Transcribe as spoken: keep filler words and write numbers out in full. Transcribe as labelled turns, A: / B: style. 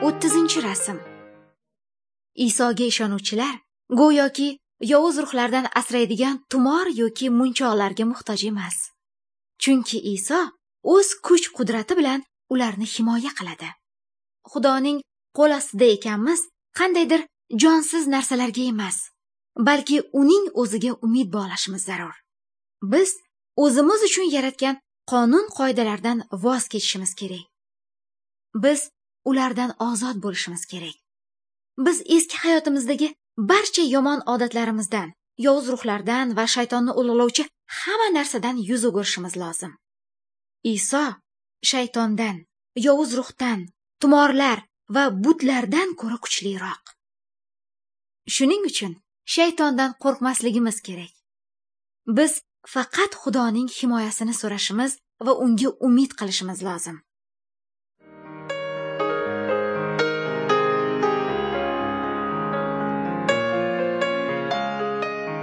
A: O'ttizinchi rasm. Isoga ishonuvchilar go'yoki yovuz ruhlardan asraydigan tumor yoki munchoqlarga muhtoj emas. Chunki Iso o'z kuch-qudrati bilan ularni himoya qiladi. Xudoning qo'l ostida ekanmiz, qandaydir jonsiz narsalarga emas, balki uning o'ziga umid bog'lashimiz zarur. Biz o'zimiz uchun yaratgan qonun qoidalardan voz kechishimiz kerak. Biz ulardan ozod bo'lishimiz kerak. Biz eski hayotimizdagi barcha yomon odatlarimizdan, yovuz ruhlardan va shaytonni ulug'lovchi hamma narsadan yuz o'girishimiz lozim. Iso shaytondan, yovuz ruhdan, tumorlar va butlardan ko'ra kuchliroq. Shuning uchun shaytondan qo'rqmasligimiz kerak. Biz faqat Xudoning himoyasini so'rashimiz va unga umid qilishimiz lozim.